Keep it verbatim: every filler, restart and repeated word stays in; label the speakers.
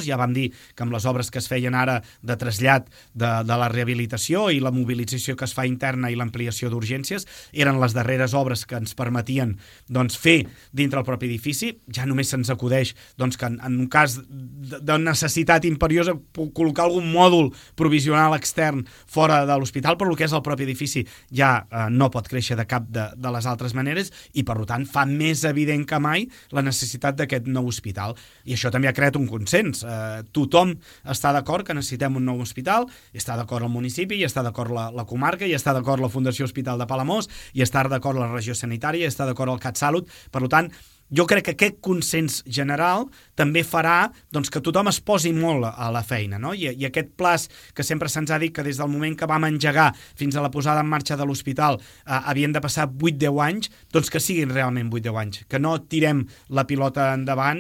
Speaker 1: Ja vam dir que amb les obres que es feien ara de trasllat de, de la rehabilitació i la mobilització que es fa interna i l'ampliació d'urgències eren les darreres obres que ens permetien doncs, fer dintre el propi edifici. Ja només se'ns acudeix doncs, que en, en un cas de, de necessitat imperiosa col·locar algun mòdul provisional extern fora de l'hospital, però el que és el propi edifici ja eh, no pot créixer de cap de, de les altres maneres i per tant fa més evident que mai la necessitat d'aquest nou hospital. I això també ha creat un consens. Eh, tothom està d'acord que necessitem un nou hospital, i està d'acord el municipi, i està d'acord la, la comarca, i està d'acord la Fundació Hospital de Palamós, i està d'acord la regió sanitària, i està d'acord el CatSalut. Per tant, jo crec que aquest consens general també farà doncs, que tothom es posi molt a la feina, no? I, i aquest plaç que sempre se'ns ha dit que des del moment que vam engegar fins a la posada en marxa de l'hospital eh, havien de passar vuit deu anys, doncs que siguin realment vuit deu anys, que no tirem la pilota endavant